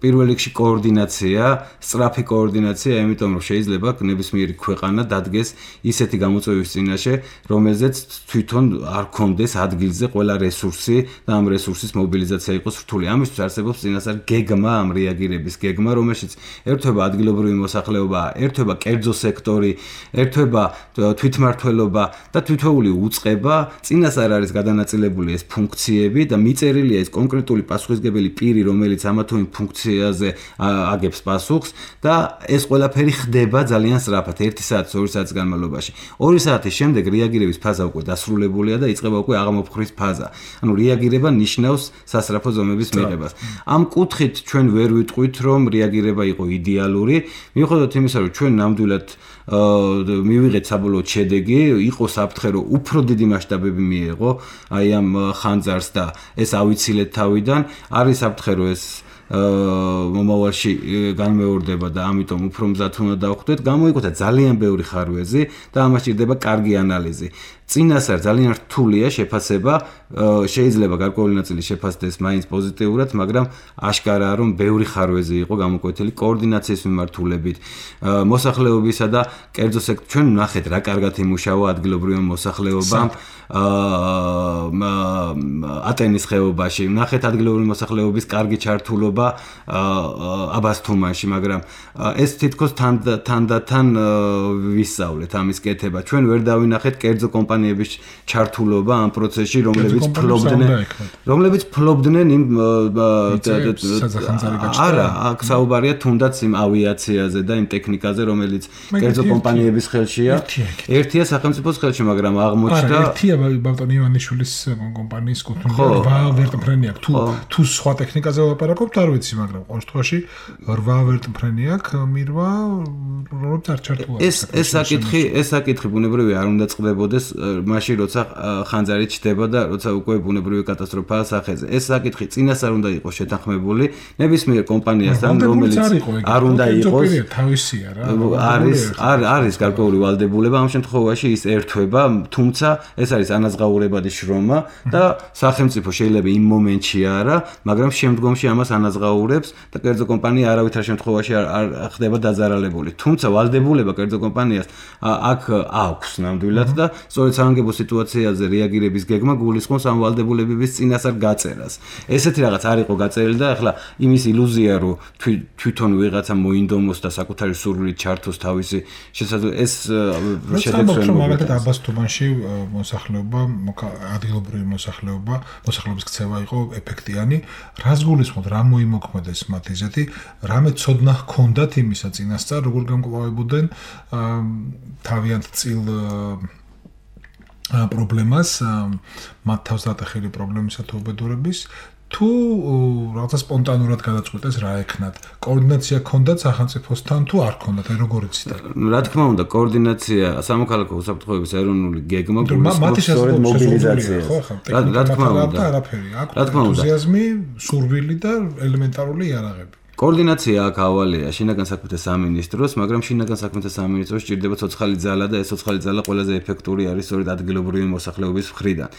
C: პირველ რიგში კოორდინაცია, სწრაფი კოორდინაცია, იმიტომ რომ შეიძლება ნებისმიერი ქვეყანა დადგეს ისეთი გამოწვევის წინაშე, რომელზეც თვითონ არ კონდეს ადგილზე ყველა რესურსი და ამ რესურსის მობილიზაცია იყოს რთული. ამისთვის არსებობს წინასწარ გეგმა, ამ რეაგირების გეგმა, რომელშიც ერთვება ადგილობრივი მოსახლეობა, ერთვება კერძო სექტორი, ერთვება თვითმმართველობა და თითოეული უწყება, წინასწარ არის გადანაწილებული ეს ფუნქციები და მიწერილია ეს კონკრეტული პასუხისმგებელი პირი, რომელიც ამა თუ იმ ფუნქციაზე აგებს პასუხს და ეს ყველაფერი ხდება ძალიან სწრაფად, ერთი საათის, ორი საათის განმავლობაში. ორი საათის შემდეგ რეაგირების ფაზა უკვე დასრულებულია და იწყება უკვე აღმოფხვრის ფაზა. ანუ რეაგირება ნიშნავს სასწრაფო ზომების მიღებას. ამ კუთხით ჩვენ ვერ ვიტყვით, რომ რეაგირება იყო იდეალური, მიუხედავად იმისა, რომ ჩვენ ნამდვილად მივიღეთ საბოლოო შედეგი, იყო საფრთხე, რომ უფრო დიდი მასშტაბები მიეღო აი ამ ხანძარს და ეს ავიცილეთ თავიდან, არის საფრთხე, რომ ეს მომავალში განმეორდება და ამიტომ უფრო მზად უნდა დავხვდეთ, გამოიკვეთა ძალიან ბევრი ხარვეზი და ამას ჭირდება კარგი ანალიზი. წინასწარ ძალიან რთულია შეფასება, შეიძლება გარკვეული ნაწილი შეფასდეს მაინც პოზიტიურად, მაგრამ აშკარაა რომ ბევრი ხარვეზი იყო გამოკვეთილი კოორდინაციის მიმართულებით, მოსახლეობისა და კერძო სექტორ ჩვენ ნახეთ რა კარგად იმუშავა ადგილობრივი მოსახლეობა ატენის ხეობაში, ნახეთ ადგილობრივი მოსახლეობის კარგი ჩართულობა აბასთუმანში, მაგრამ ეს თითქოს თანდათან ვისწავლეთ ამის კეთება. ჩვენ ვერ დავინახეთ კერძო კომპანიების ჩართულობა ამ პროცესში, რომლებიც ფლობდნენ, რომლებიც ფლობდნენ იმ არა, აქ საუბარია თუნდაც იმ ავიაციაზე და იმ ტექნიკაზე, რომელიც კერძო კომპანიების ხელშია. ერთია სახელმწიფოს ხელში, მაგრამ აღმოჩნდა
B: არა, ერთია ბალტონ ივანიშვილის კომპანიის კუთვნილება, რვა ვერტმფრენი აქვს. თუ თუ სხვა ტექნიკაზე ვლაპარაკობთ, არ ვიცი, მაგრამ ყოველ შემთხვევაში რვა ვერტმფრენი აქვს, მირვა რომელიც არ ჩართულა.
C: ეს ეს საკითხი, ეს საკითხი ბუნებრივი არ უნდა წყდებოდეს მაშინ, როცა ხანძარი ჩდება და როცა უკვე ბუნებრივი კატასტროფაა სახეზე. ეს საკითხი წინასწარ უნდა იყოს შეთანხმებული ნებისმიერ კომპანიასთან, რომელიც არ უნდა იყოს
B: თავისია რა.
C: არის არ არის გარკვეული ვალდებულება ამ შემთხვევაში ის ერთვება, თუმცა ეს არის ანაზღაურებადი შრომა და სახელმწიფო შეიძლება იმ მომენტში არა, მაგრამ შემდგომში ამას ანაზღაურებს და კერძო კომპანია არავითარ შემთხვევაში არ ხდება დაზარალებული. თუმცა ვალდებულება კერძო კომპანიას აქ აქვს ნამდვილად და სწორედ საანგებო სიტუაციაზე რეაგირების გეგმა გულისხმობს ამ ვალდებულებების წინასწარ გაწერას. ესეთი რაღაც არ იყო გაწერილი და ახლა იმის ილუზია, რომ თვითონ ვიღაცა მოინდომოს და საკუთარი სურვილით ჩართოს თავისი შესაძლო ეს შედეგს ვერ მოგწევს.
B: მაგალითად აბასთუმანში მოსახლეობა, ადგილობრივი მოსახლეობა, მოსახლეობის ქცევა იყო ეფექტიანი. რას გულისხმობთ, რა მოიმოქმედეს მათ ისეთი, რამე ცოდნა ჰქონდათ იმისა წინასწარ, როგორ გამკლავებოდნენ თავიანთ წილ პრობლემას, მათ თავს დატეხილი პრობლემისა თუ უბედურების, თუ რაღაცა სპონტანურად გადაწყვეტეს რა ეკნათ. კოორდინაცია ჰქონდათ სახელმწიფოსთან თუ არ ჰქონდათ, აი როგორ იცით?
C: რა თქმა უნდა, კოორდინაცია სამოქალაქო უსაფრთხოების ეროვნული გეგმა გულისხმობს სწორედ მობილიზაციას. რა თქმა უნდა,
B: არაფერი. აქვს ენთუზიაზმი, სურვილი და ელემენტარული იარაღები.
C: კოორდინაცია აქ ავალია შინაგან საქმეთა სამინისტროს, მაგრამ შინაგან საქმეთა სამინისტროს ჭირდება ცოცხალი ძალა და ეს ცოცხალი ძალა ყველაზე ეფექტური არის სწორედ ადგილობრივი მოსახლეობის მხრიდან.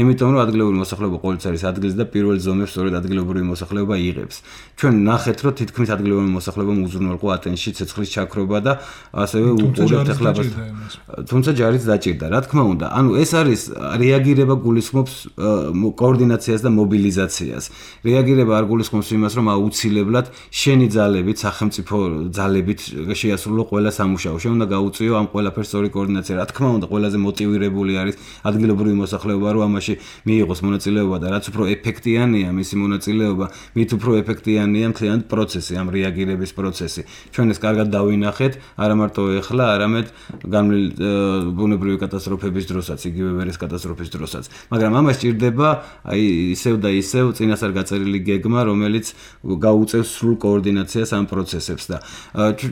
C: იმიტომ რომ ადგილობრივი მოსახლეობა ყოველთვის არის ადგილზე და პირველ ზომებს სწორედ ადგილობრივი მოსახლეობა იღებს. ჩვენ ნახეთ, რომ თითქმის ადგილობრივი მოსახლეობამ უზრუნველყო ატენში ცეცხლის ჩაქრობა და ასევე უყურებთ ახლა თუმცა ჯარიც დაჭირდა. რა თქმა უნდა, ანუ ეს არის რეაგირება გულისხმობს კოორდინაციას და მობილიზაციას. რეაგირება არ გულისხმობს იმას, რომ აუცილებლად შენი ძალებით, სახელმწიფო ძალებით შეასრულო ყველა სამუშაო. შენ უნდა გაუწიო ამ ყველაფერს სწორი კოორდინაცია. რა თქმა უნდა, ყველაზე მოტივირებული არის ადგილობრივი მოსახლეობა, რომ ამაში მიიღოს მონაწილეობა და რაც უფრო ეფექტიანია მისი მონაწილეობა, მით უფრო ეფექტიანია მთლიანი პროცესი, ამ რეაგირების პროცესი. ჩვენ ეს კარგად დავინახეთ, არა მარტო ეხლა, არამედ განვლილ ბუნებრივი კატასტროფების დროსაც, იგივე ვერეს კატასტროფის დროსაც. მაგრამ ამას ჭირდება აი ისევ და ისევ წინასწარ გაწერილი გეგმა, რომელიც გაუწევს სრულ კოორდინაციას ამ პროცესებს და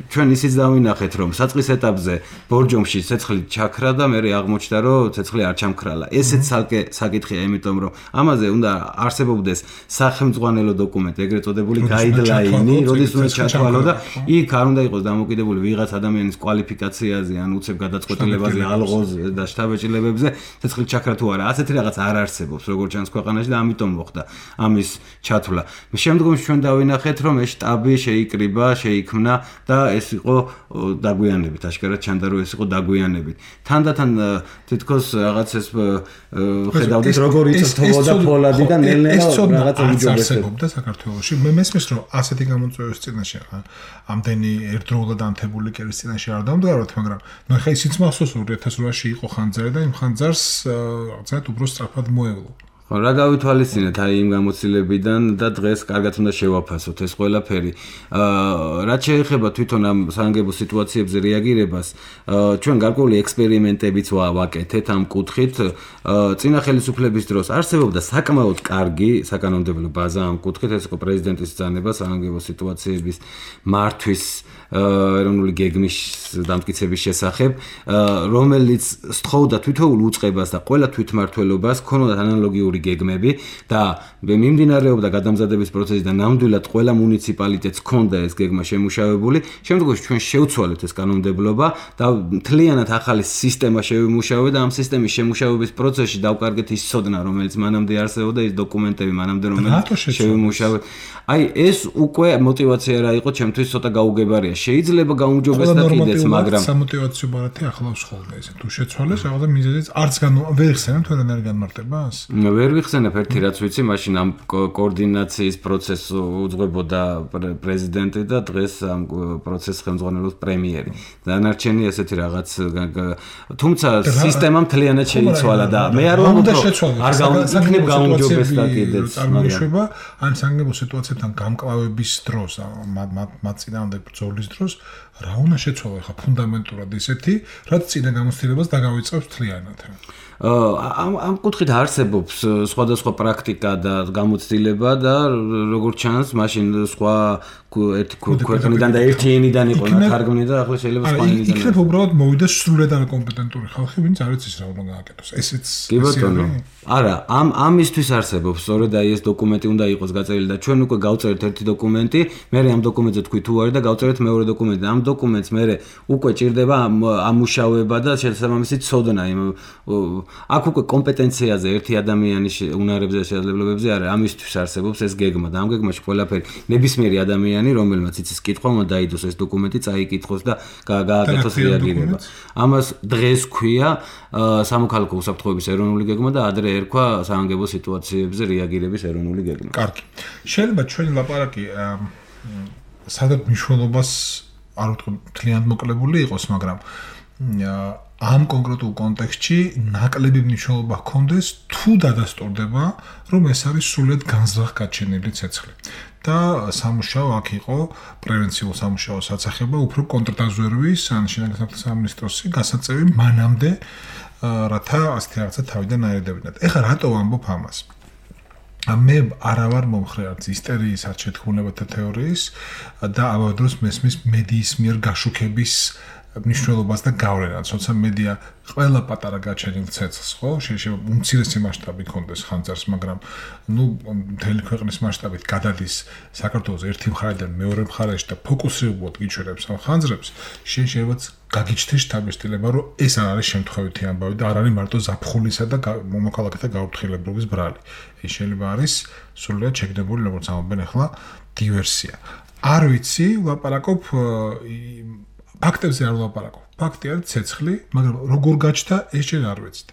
C: ჩვენ ისიც დავინახეთ, რომ საწყის ეტაპზე ბორჯომში ცეცხლი ჩაქრა და მე აღმოჩნდა, რომ ცეცხლი არ ჩამქრალა. ესეც ცალკე საკითხია, იმიტომ რომ ამაზე უნდა არსებობდეს სახელმწიფო დოკუმენტი, ეგრეთ წოდებული გაიდლაინი, როდის უნდა ჩათვალო და იქ არ უნდა იყოს დამოკიდებული ვიღაც ადამიანის კვალიფიკაციაზე, ან უცებ გადაწყვეტილებაზე, ალღოზე და შთაბეჭდილებებზე, ცეცხლი ჩაქრა თუ არა. ასეთი რაღაც არ არსებობს, როგორც ჩანს ქვეყანაში და ამიტომ მოხდა ამის ჩათვლა. შემდგომში ჩვენ დავინახეთ, რომ ეს შტაბი შეიკრიბა, შეიქმნა და ეს იყო დაგვიანებით, აშკარად ჩანდა, რომ ეს იყო დაგვიანებით. თანდათან თითქოს რაღაც ეს ხედავდით, როგორ იწვევდა ფოლადი და ნელ-ნელა რაღაც
B: უჯობესებობდა საქართველოში. მე მესმის, რომ ასეთი გამოწვევის წინაშე ამდენი ერთდროულად ანთებული კერის წინაშე არ დავდგაროთ, მაგრამ ნუ ხა ისიც მახსოვს ორი ათას რვაში იყო ხანძარი და იმ ხანძარს რაღაცა უფრო სწრაფად მოევლო.
C: ხო, რა გავითვალისწინეთ აი იმ გამოცდილებიდან და დღეს კარგად უნდა შევაფასოთ ეს ყველაფერი. აა რაც შეეხება თვითონ ამ საგანგებო სიტუაციებზე რეაგირებას, ჩვენ გარკვეული ექსპერიმენტებიც ვაკეთეთ ამ კუთხით. წინა ხელისუფლების დროს არსებობდა საკმაოდ კარგი საკანონმდებლო ბაზა ამ კუთხით, ეს იყო პრეზიდენტის ბრძანება საგანგებო სიტუაციების მართვის ეროვნული გეგმის დამტკიცების შესახებ, რომელიც სწხოვდა თვითოულ უწყებას და ყველა თვითმმართველობას ქონოდა ანალოგიური გეგმები და მიმდინარეობდა გადამზადების პროცესი და ნამდვილად ყველა მუნიციპალიტეტს ქონდა ეს გეგმა შემუშავებული. შემდგომში ჩვენ შევცვალეთ ეს კანონმდებლობა და მთლიანად ახალი სისტემა შევიმუშავეთ და ამ სისტემის შემუშავების პროცესში დავკარგეთ ის ცოდნა, რომელიც მანამდე არსებობდა, ის დოკუმენტები მანამდე რომელიც შევიმუშავეთ. აი ეს უკვე მოტივაცია რა იყო ჩემთვის ცოტა გაუგებარია. შეიძლება გაუმჯობესდა კიდეც, მაგრამ
B: სამოტივაციო ბარათი ახლავს ხოლმე ესე. თუ შეცვალეს რაღაცა მიზეზიც არც განო ვერ ხსენებ თორემ არ განმარტებას?
C: ვერ ვიხსენებ ერთი რაც ვიცი, მაშინ ამ კოორდინაციის პროცესს უძღვებოდა პრეზიდენტი და დღეს ამ პროცესს ხელმძღვანელობს პრემიერი. დანარჩენი ესეთი რაღაც თუმცა სისტემა მთლიანად შეიცვალა და მე არ ვამბობ რომ არ გაუნდობ გაუმჯობესდა კიდეც,
B: მაგრამ ამ საგანგებო სიტუაციებთან გამკლავების დროს, მათ წინააღმდეგ ბრძოლის დროს რა უნდა შეცვალო ხა ფუნდამენტურად ისეთი, რაც წინა გამოცდილებას დაგავიწყებს მთლიანად.
C: ამ ამ კუთხით არსებობს სხვადასხვა პრაქტიკა და გამოცდილება და როგორც ჩანს, მაშინ სხვა ერთი ქვეყნიდან და ერთი ენიდან იყო ნათარგმნი და ახლა შეიძლება სხვა ენიდან.
B: იქნებ უბრალოდ მოვიდა სრულად არაკომპეტენტური ხალხი, ვინც არ იცის რა უნდა გააკეთოს. ესეც
C: კი ბატონო. არა, ამ ამისთვის არსებობს სწორედ აი ეს დოკუმენტი უნდა იყოს გაწერილი და ჩვენ უკვე გავწერეთ ერთი დოკუმენტი, მე ამ დოკუმენტზე თქვი თუ არის და გავწერეთ მეორე დოკუმენტი. ამ დოკუმენტს მე უკვე ჭირდება ამუშავება და შესაბამისი ცოდნა იმ აქ უკვე კომპეტენციაზე ერთი ადამიანის უნარებზე და შესაძლებლობებზე არის, ამისთვის არსებობს ეს გეგმა და ამ გეგმაში ყველაფერი ნებისმიერი ადამიანი, რომელმაც იცის კითხვა, უნდა დაიდოს ეს დოკუმენტი, წაიკითხოს და გააკეთოს რეაგირება. ამას დღეს ქვია სამოქალაქო უსაფრთხოების ეროვნული გეგმა და ადრე ერქვა საგანგებო სიტუაციებზე რეაგირების ეროვნული გეგმა.
B: კარგი. შეიძლება ჩვენი ლაპარაკი სადაც მნიშვნელობას არ ვთქვი მთლიანად მოკლებული იყოს, მაგრამ ამ კონკრეტულ კონტექსტში ნაკლები მნიშვნელობა ჰქონდეს თუ დადასტურდება, რომ ეს არის სრულად განზრახ-გაჩენილი ცეცხლი. და სამუშაო აქ იყო პრევენციულ სამუშაო საცახება, უფრო კონტრდაზვერვის ან შინაგან საქმეთა სამინისტროსი გასაწევი მანამდე, რათა ასეთი რაღაცა თავიდან აერდებინათ. ეხლა რატო ვამბობ ამას? მე არა ვარ მომხრე არც ისტერიის, არც შეთქმულებათა თეორიის და ამავდროულად მესმის მედიის მიერ გაშუქების მნიშვნელობას და გავლენას, თორსა მედია ყველა პატარა გაჩენილ ცეცხლს, ხო, შეიძლება უმცირესი მასშტაბი ქონდეს ხანძარს, მაგრამ ნუ მთელი ქვეყნის მასშტაბით გადადის საქართველოს ერთი მხარიდან მეორე მხარეში და ფოკუსირებულად გიჩვენებს ამ ხანძრებს, შეიძლება გაგიჩნდეს შთაბეჭდილება, რომ ეს არ არის შემთხვევითი ამბავი და არ არის მარტო ზაფხულისა და მომოქალაქეთა გაუფრთხილებლობის ბრალი. ეს შეიძლება არის სრულიად შეგდებული, როგორც ამბობენ ახლა, დივერსია. არ ვიცი, ვლაპარაკობ ფაქტებზე არ ვლაპარაკობ. ფაქტი არის ცეცხლი, მაგრამ როგორ გაჩნდა, ეს ჯერ არ ვიცით.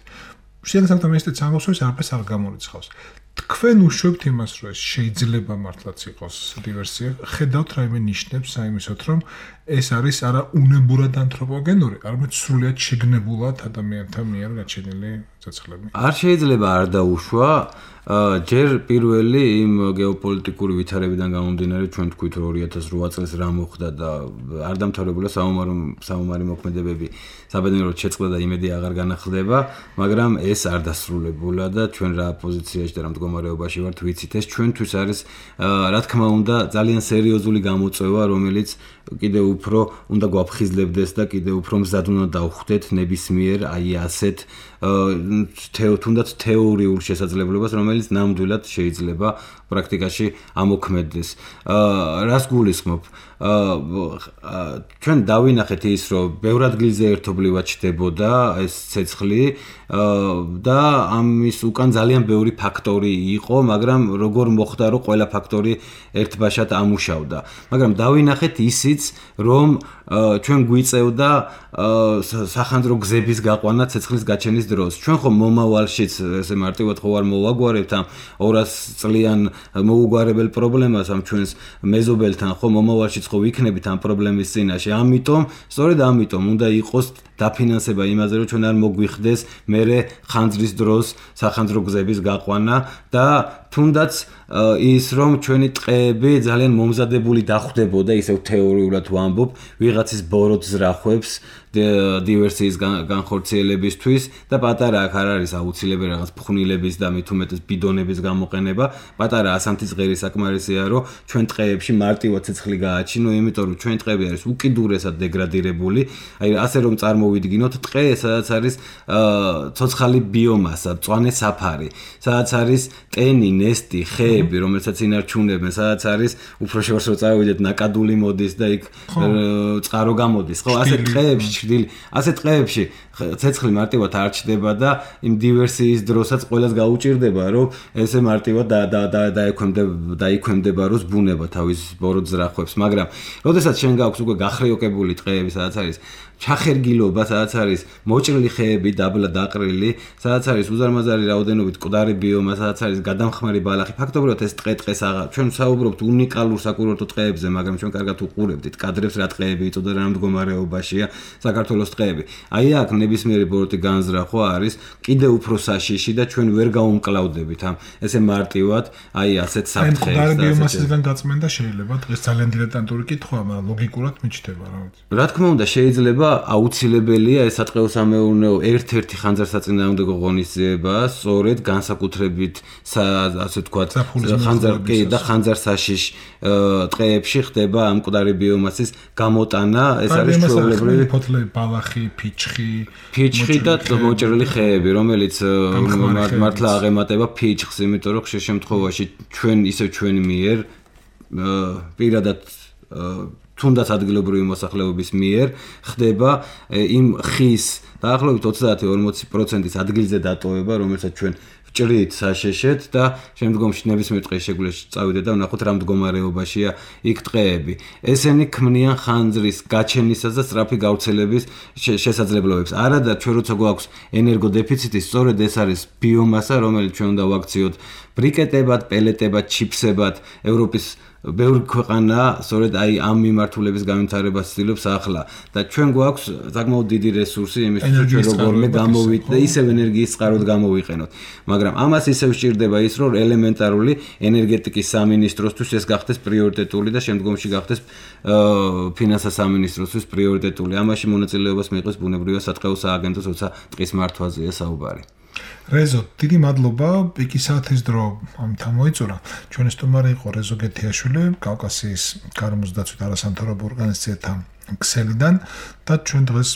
B: შეიძლება მეცდეთ ამბობს, რომ არაფერს არ გამორიცხავს. თქვენ უშვებთ იმას, რომ ეს შეიძლება მართლაც იყოს დივერსია. ხედავთ რაიმე ნიშნებს საიმისოთ, რომ ეს არის არა უნებურად ანთროპოგენური, არამედ სრულიად შეგნებულად ადამიანთა მიერ გაჩენილი ცეცხლები.
C: არ შეიძლება არ დაუშვა ჯერ პირველი იმ გეოპოლიტიკური ვითარებიდან გამომდინარე ჩვენ თქვით რომ ორი ათას რვა წელს რა მოხდა და არ დამთავრებულა საომარი მოქმედებები საბედნიეროდ შეწყდა და იმედი აღარ განახლდება, მაგრამ ეს არ დასრულებულა და ჩვენ რა პოზიციაში და რა მდგომარეობაში ვართ ვიცით, ეს ჩვენთვის არის რა თქმა უნდა ძალიან სერიოზული გამოწვევა, რომელიც კიდე უფრო უნდა გვაფხიზლებდეს და კიდე უფრო მზად უნდა დავხვდეთ ნებისმიერ აი ასეთ თუნდაც თეორიულ შესაძლებლობას, რომელიც ნამდვილად შეიძლება პრაქტიკაში ამოქმედდეს. რას გულისხმობ? ჩვენ დავინახეთ ის, რომ ბევრ ადგილზე ერთობლივად ჩდებოდა ეს ცეცხლი და ამის უკან ძალიან ბევრი ფაქტორი იყო, მაგრამ როგორ მოხდა, რომ ყველა ფაქტორი ერთბაშად ამუშავდა. მაგრამ დავინახეთ ისიც, რომ ჩვენ გვიწევდა სახანძრო გზების გაყვანა ცეცხლის გაჩენის დროს. ჩვენ ხომ მომავალშიც ესე მარტივად ხო არ მოვაგვარებთ ამ ორას წლიან მოუგვარებელ პრობლემას ამ ჩვენს მეზობელთან, ხო მომავალშიც ხო ვიქნებით ამ პრობლემის წინაშე. ამიტომ, სწორედ ამიტომ უნდა იყოს დაფინანსება იმაზე, რომ ჩვენ არ მოგვიხდეს მერე ხანძრის დროს სახანძრო გზების გაყვანა და თუნდაც ის რომ ჩვენი ტყეები ძალიან მომზადებული დახვდებოდა, ისევ თეორიულად ვამბობ, ვიღაცის ბოროტს რახვებს დივერსიის განხორციელებისთვის და პატარა აქ არ არის აუცილებელი რაღაც ფხვნილების და მით უმეტეს ბიდონების გამოყენება, პატარა ასანთის ღერი საკმარისია, რომ ჩვენ ტყეებში მარტივად ცეცხლი გააჩინო, იმიტომ რომ ჩვენ ტყეები არის უკიდურესად დეგრადირებული, აი ასე რომ წარმოვიდგინოთ ტყე, სადაც არის ცოცხალი ბიომასა, მწვანე საფარი, სადაც არის ტენი, ნესტი, ხეები, რომელსაც ინარჩუნებენ, სადაც არის უფრო შორს რო წავიდეთ, ნაკადული მოდის და იქ წყარო გამოდის, ხო, ასე ტყეებში ჭრილი, ასე ტყეებში ცეცხლი მარტივად არ ჩდება და იმ დივერსიის დროსაც ყველას გაუჭირდება, რომ ესე მარტივად დაიქვემდება როს ბუნება თავის ბოროტს რახვებს, მაგრამ როდესაც შენ გაქვს უკვე გახრიოკებული ტყეები, სადაც არის ჩახერგილობა, სადაც არის მოჭრილი ხეები, დაბლა დაყრილი, სადაც არის უზარმაზარი რაოდენობით მკვდარი ბიომა, სადაც არის გადამხმარი ბალახი, ფაქტობრივად ეს ტყე ტყეს აღარ ჩვენ საუბრობთ უნიკალურ საკურორტო ტყეებზე, მაგრამ ჩვენ კარგად უყურებდით კადრებს რა ტყეები იწოდა რა მდგომარეობაშია საქართველოს ტყეები. აი აქ ნებისმიერი ბოროტი განზრა ხო არის კიდე უფრო საშიში და ჩვენ ვერ გაუმკლავდებით ამ ესე მარტივად აი ასეთ საფრთხეებს და
B: მკვდარი ბიომასისგან გაწმენდა შეიძლება დღეს ძალიან დილეტანტური კითხვაა, მაგრამ ლოგიკურად მიჩნდება რა ვიცი.
C: რა თქმა უნდა შეიძლება აუცილებელია ეს სატყეო-სამეურნეო ერთ-ერთი ხანძარსაწინააღმდეგო ღონისძიება, სწორედ განსაკუთრებით ასე ვთქვათ, ხანძარკი და ხანძარსაშიშ ტყეებში ხდება ამ მკვდარი ბიომასის გამოტანა, ეს არის ჩვეულებრივი
B: ფოთლები, ბალახი, ფიჩხი,
C: ფიჩხი და მოჭრილი ხეები, რომელიც მართლა აღემატება ფიჩხს, იმიტომ რომ ხშირ შემთხვევაში ჩვენ ისევ ჩვენ მიერ პირადად თუნდაც ადგილობრივი მოსახლეობის მიერ ხდება იმ ხის დაახლოებით ოცდაათი ორმოცი პროცენტის ადგილზე დატოვება, რომელსაც ჩვენ ვჭრით საშეშეთ და შემდგომში ნებისმიერ ტყეს შეგვიძლია წავიდეთ და ვნახოთ რა მდგომარეობაშია იქ ტყეები. ესენი ქმნიან ხანძრის გაჩენისას და სწრაფი გავრცელების შესაძლებლობებს. არადა ჩვენ როცა გვაქვს ენერგოდეფიციტი, სწორედ ეს არის ბიომასა, რომელიც ჩვენ უნდა ვაქციოთ ბრიკეტებად, პელეტებად, ჩიფსებად, ევროპის ბევრი ქვეყანა სწორედ აი ამ მიმართულების განვითარებას ცდილობს ახლა და ჩვენ გვაქვს საკმაოდ დიდი რესურსი იმისთვის რომ ჩვენ როგორმე გამოვიდეთ და ისევ ენერგიის წყაროდ გამოვიყენოთ, მაგრამ ამას ისევ სჭირდება ის რომ ელემენტარული ენერგეტიკის სამინისტროსთვის ეს გახდეს პრიორიტეტული და შემდგომში გახდეს ფინანსთა სამინისტროსთვის პრიორიტეტული. ამაში მონაწილეობას მიიღოს ბუნებრივი სატყეო სააგენტოს, როცა ტყის მართვაზეა საუბარი.
B: რეზო, დიდი მადლობა, პიკი საათის დრო ამთან მოიწურა. ჩვენი სტუმარი იყო რეზო გეთიაშვილი, კავკასიის გარემოს დაცვით არასამთავრობო ორგანიზაციათა ქსელიდან და ჩვენ დღეს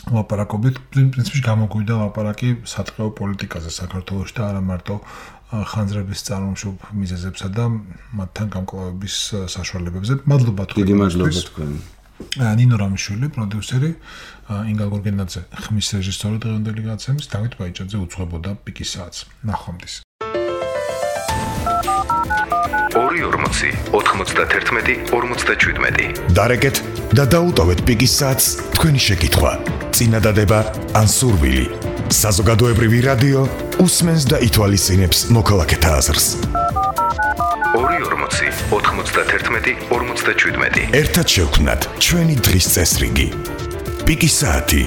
B: ლაპარაკობთ, პრინციპში გამოგვიდა ლაპარაკი სატყეო პოლიტიკაზე საქართველოში და არა მარტო ხანძრების წარმოშობ მიზეზებსა და მათთან გამკლავების საშუალებებზე. მადლობა თქვენ.
C: დიდი მადლობა თქვენ.
B: ნინო რამიშვილი, პროდიუსერი, ინგა გორგენაძე, ხმის რეჟისორი დღევანდელი გადაცემის, დავით ბაიჭაძე უძღვებოდა პიკის საათს. ნახვამდის.
D: ორი ორმოცი, ოთხმოცდაერთმეტი, ორმოცდაშვიდმეტი.
A: დარეკეთ და დაუტოვეთ პიკის საათს თქვენი შეკითხვა. წინადადება ან სურვილი. საზოგადოებრივი რადიო უსმენს და ითვალისწინებს მოქალაქეთა აზრს.
D: ორი ორმოცი, ოთხმოცდაერთმეტი, ორმოცდაშვიდმეტი.
A: ერთად შევქმნათ ჩვენი დღის წესრიგი. პიკის საათი